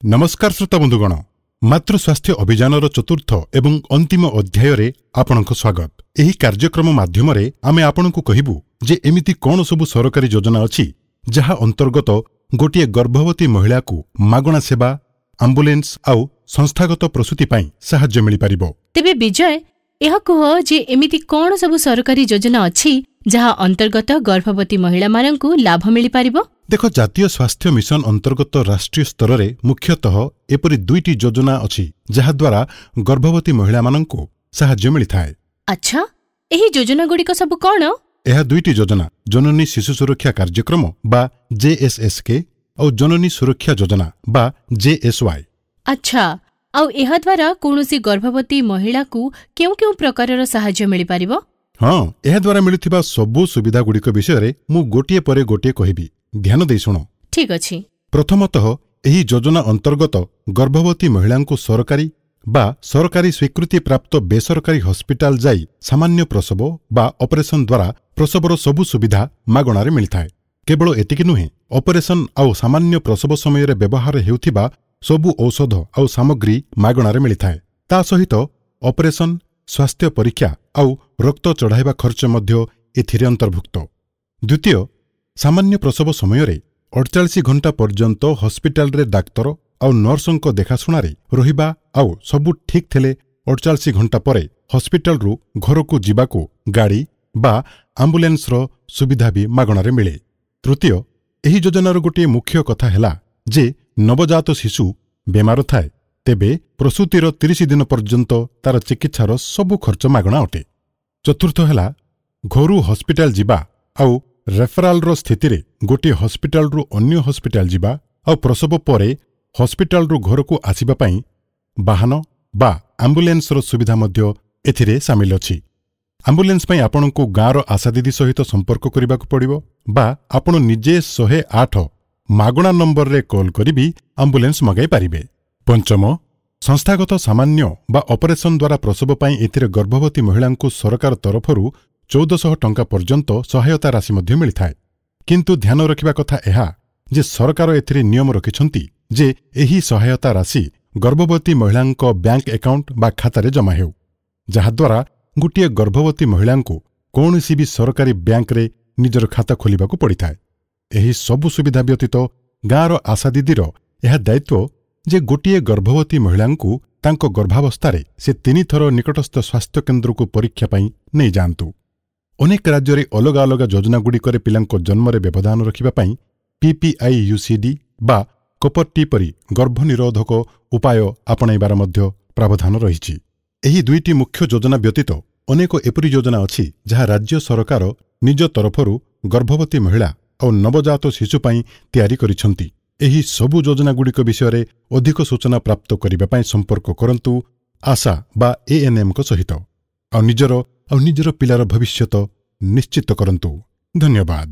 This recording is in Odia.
ନମସ୍କାର ଶ୍ରୋତା ବନ୍ଧୁଗଣ, ମାତୃ ସ୍ୱାସ୍ଥ୍ୟ ଅଭିଯାନର ଚତୁର୍ଥ ଏବଂ ଅନ୍ତିମ ଅଧ୍ୟାୟରେ ଆପଣଙ୍କ ସ୍ୱାଗତ। ଏହି କାର୍ଯ୍ୟକ୍ରମ ମାଧ୍ୟମରେ ଆମେ ଆପଣଙ୍କୁ କହିବୁ ଯେ ଏମିତି କ'ଣ ସବୁ ସରକାରୀ ଯୋଜନା ଅଛି ଯାହା ଅନ୍ତର୍ଗତ ଗୋଟିଏ ଗର୍ଭବତୀ ମହିଳାକୁ ମାଗଣା ସେବା, ଆମ୍ବୁଲାନ୍ସ ଆଉ ସଂସ୍ଥାଗତ ପ୍ରସୂତି ପାଇଁ ସାହାଯ୍ୟ ମିଳିପାରିବ। ତେବେ ବିଜୟ, ଏହା କୁହ ଯେ ଏମିତି କ'ଣ ସବୁ ସରକାରୀ ଯୋଜନା ଅଛି ଯାହା ଅନ୍ତର୍ଗତ ଗର୍ଭବତୀ ମହିଳାମାନଙ୍କୁ ଲାଭ ମିଳିପାରିବ? ଦେଖ, ଜାତୀୟ ସ୍ୱାସ୍ଥ୍ୟ ମିଶନ ଅନ୍ତର୍ଗତ ରାଷ୍ଟ୍ରୀୟ ସ୍ତରରେ ମୁଖ୍ୟତଃ ଏପରି ଦୁଇଟି ଯୋଜନା ଅଛି ଯାହାଦ୍ୱାରା ଗର୍ଭବତୀ ମହିଳାମାନଙ୍କୁ ସାହାଯ୍ୟ ମିଳିଥାଏ। ଆଚ୍ଛା, ଏହି ଯୋଜନାଗୁଡ଼ିକ ସବୁ କ'ଣ? ଏହା ଦୁଇଟି ଯୋଜନା ଜନନୀ ଶିଶୁ ସୁରକ୍ଷା କାର୍ଯ୍ୟକ୍ରମ ବା ଜେଏସ୍ଏସ୍କେ ଆଉ ଜନନୀ ସୁରକ୍ଷା ଯୋଜନା ବା ଜେଏସ୍ୱାଇ। ଆଚ୍ଛା, ଆଉ ଏହାଦ୍ୱାରା କୌଣସି ଗର୍ଭବତୀ ମହିଳାକୁ କେଉଁ କେଉଁ ପ୍ରକାରର ସାହାଯ୍ୟ ମିଳିପାରିବ? ହଁ, ଏହାଦ୍ୱାରା ମିଳୁଥିବା ସବୁ ସୁବିଧାଗୁଡ଼ିକ ବିଷୟରେ ମୁଁ ଗୋଟିଏ ପରେ ଗୋଟିଏ କହିବି, ଧ୍ୟାନ ଦେଇ ଶୁଣ। ଠିକ୍ ଅଛି। ପ୍ରଥମତଃ, ଏହି ଯୋଜନା ଅନ୍ତର୍ଗତ ଗର୍ଭବତୀ ମହିଳାଙ୍କୁ ସରକାରୀ ବା ସରକାରୀ ସ୍ୱୀକୃତିପ୍ରାପ୍ତ ବେସରକାରୀ ହସ୍ପିଟାଲ ଯାଇ ସାମାନ୍ୟ ପ୍ରସବ ବା ଅପରେସନ ଦ୍ୱାରା ପ୍ରସବର ସବୁ ସୁବିଧା ମାଗଣାରେ ମିଳିଥାଏ। କେବଳ ଏତିକି ନୁହେଁ, ଅପରେସନ ଆଉ ସାମାନ୍ୟ ପ୍ରସବ ସମୟରେ ବ୍ୟବହାର ହେଉଥିବା ସବୁ ଔଷଧ ଆଉ ସାମଗ୍ରୀ ମାଗଣାରେ ମିଳିଥାଏ। ତା ସହିତ ଅପରେସନ, ସ୍ୱାସ୍ଥ୍ୟ ପରୀକ୍ଷା ଆଉ ରକ୍ତ ଚଢ଼ାଇବା ଖର୍ଚ୍ଚ ମଧ୍ୟ ଏଥିରେ ଅନ୍ତର୍ଭୁକ୍ତ। ଦ୍ୱିତୀୟ, ସାମାନ୍ୟ ପ୍ରସବ ସମୟରେ 48 ଘଣ୍ଟା ପର୍ଯ୍ୟନ୍ତ ହସ୍ପିଟାଲରେ ଡାକ୍ତର ଆଉ ନର୍ସଙ୍କ ଦେଖାଶୁଣାରେ ରହିବା ଆଉ ସବୁ ଠିକ୍ ଥିଲେ 48 ଘଣ୍ଟା ପରେ ହସ୍ପିଟାଲରୁ ଘରକୁ ଯିବାକୁ ଗାଡ଼ି ବା ଆମ୍ବୁଲାନ୍ସର ସୁବିଧା ବି ମାଗଣାରେ ମିଳେ। ତୃତୀୟ, ଏହି ଯୋଜନାର ଗୋଟିଏ ମୁଖ୍ୟ କଥା ହେଲା ଯେ ନବଜାତ ଶିଶୁ ବେମାର ଥାଏ ତେବେ ପ୍ରସୂତିର 30 ଦିନ ପର୍ଯ୍ୟନ୍ତ ତାର ଚିକିତ୍ସାର ସବୁ ଖର୍ଚ୍ଚ ମାଗଣା ଅଟେ। ଚତୁର୍ଥ ହେଲା, ଘରୁ ହସ୍ପିଟାଲ ଯିବା ଆଉ ରେଫରାଲର ସ୍ଥିତିରେ ଗୋଟିଏ ହସ୍ପିଟାଲରୁ ଅନ୍ୟ ହସ୍ପିଟାଲ ଯିବା ଆଉ ପ୍ରସବ ପରେ ହସ୍ପିଟାଲରୁ ଘରକୁ ଆସିବା ପାଇଁ ବାହନ ବା ଆମ୍ବୁଲାନ୍ସର ସୁବିଧା ମଧ୍ୟ ଏଥିରେ ସାମିଲ ଅଛି। ଆମ୍ବୁଲାନ୍ସ ପାଇଁ ଆପଣଙ୍କୁ ଗାଁର ଆଶା ଦିଦି ସହିତ ସମ୍ପର୍କ କରିବାକୁ ପଡ଼ିବ ବା ଆପଣ ନିଜେ 108 ମାଗଣା ନମ୍ବରରେ କଲ୍ କରି ବି ଆମ୍ବୁଲାନ୍ସ ମଗାଇ ପାରିବେ। ପଞ୍ଚମ, ସଂସ୍ଥାଗତ ସାମାନ୍ୟ ବା ଅପରେସନ ଦ୍ୱାରା ପ୍ରସବ ପାଇଁ ଏଥିରେ ଗର୍ଭବତୀ ମହିଳାଙ୍କୁ ସରକାର ତରଫରୁ 1400 ଟଙ୍କା ପର୍ଯ୍ୟନ୍ତ ସହାୟତା ରାଶି ମଧ୍ୟ ମିଳିଥାଏ। କିନ୍ତୁ ଧ୍ୟାନ ରଖିବା କଥା ଏହା ଯେ ସରକାର ଏଥିରେ ନିୟମ ରଖିଛନ୍ତି ଯେ ଏହି ସହାୟତା ରାଶି ଗର୍ଭବତୀ ମହିଳାଙ୍କ ବ୍ୟାଙ୍କ ଆକାଉଣ୍ଟ ବା ଖାତାରେ ଜମା ହେଉ, ଯାହାଦ୍ୱାରା ଗୋଟିଏ ଗର୍ଭବତୀ ମହିଳାଙ୍କୁ କୌଣସି ବି ସରକାରୀ ବ୍ୟାଙ୍କରେ ନିଜର ଖାତା ଖୋଲିବାକୁ ପଡ଼ିଥାଏ। ଏହି ସବୁ ସୁବିଧା ବ୍ୟତୀତ ଗାଁର ଆଶା ଦିଦିର ଏହା ଦାୟିତ୍ୱ ଯେ ଗୋଟିଏ ଗର୍ଭବତୀ ମହିଳାଙ୍କୁ ତାଙ୍କ ଗର୍ଭାବସ୍ଥାରେ ସେ 3 ଥର ନିକଟସ୍ଥ ସ୍ୱାସ୍ଥ୍ୟକେନ୍ଦ୍ରକୁ ପରୀକ୍ଷା ପାଇଁ ନେଇଯାଆନ୍ତୁ। ଅନେକ ରାଜ୍ୟରେ ଅଲଗା ଅଲଗା ଯୋଜନାଗୁଡ଼ିକରେ ପିଲାଙ୍କ ଜନ୍ମରେ ବ୍ୟବଧାନ ରଖିବା ପାଇଁ ପିପିଆଇୟୁସିଡି ବା କପର ଟି ପରି ଗର୍ଭନିରୋଧକ ଉପାୟ ଆପଣାଇବାର ମଧ୍ୟ ପ୍ରାବଧାନ ରହିଛି। ଏହି ଦୁଇଟି ମୁଖ୍ୟ ଯୋଜନା ବ୍ୟତୀତ ଅନେକ ଏପରି ଯୋଜନା ଅଛି ଯାହା ରାଜ୍ୟ ସରକାର ନିଜ ତରଫରୁ ଗର୍ଭବତୀ ମହିଳା ଆଉ ନବଜାତ ଶିଶୁ ପାଇଁ ତିଆରି କରିଛନ୍ତି। ଏହି ସବୁ ଯୋଜନାଗୁଡ଼ିକ ବିଷୟରେ ଅଧିକ ସୂଚନା ପ୍ରାପ୍ତ କରିବା ପାଇଁ ସମ୍ପର୍କ କରନ୍ତୁ ଆଶା ବା ଏଏନ୍ଏମ୍ଙ୍କ ସହିତ ଆଉ ନିଜର ପିଲାର ଭବିଷ୍ୟତ ନିଶ୍ଚିତ କରନ୍ତୁ। ଧନ୍ୟବାଦ।